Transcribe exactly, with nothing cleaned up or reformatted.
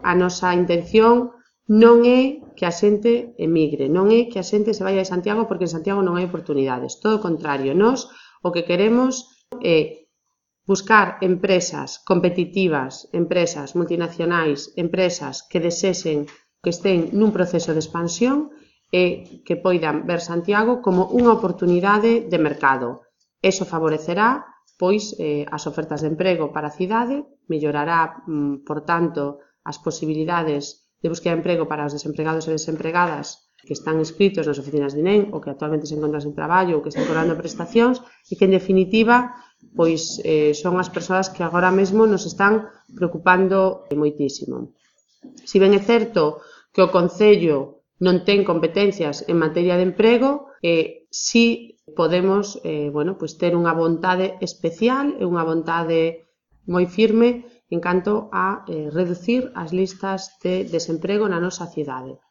a nosa intención non é que a xente emigre, non é que a xente se vaya de Santiago porque en Santiago non hai oportunidades, todo o contrario, nós o que queremos é buscar empresas competitivas, empresas multinacionais, empresas que desexen que estén nun proceso de expansión e que poidan ver Santiago como unha oportunidade de mercado. Eso favorecerá, pois, eh, as ofertas de emprego para a cidade, mellorará, mm, por tanto, as posibilidades de buscar emprego para os desempregados e desempregadas que están inscritos nas oficinas de I N E M ou que actualmente se encontran sen traballo ou que están cobrando prestacións e que, en definitiva, pois eh, son as persoas que agora mesmo nos están preocupando moitísimo. Si ben é certo que o Concello non ten competencias en materia de emprego, eh, si podemos eh, bueno, pois ter unha vontade especial e unha vontade moi firme en canto a eh, reducir as listas de desemprego na nosa cidade.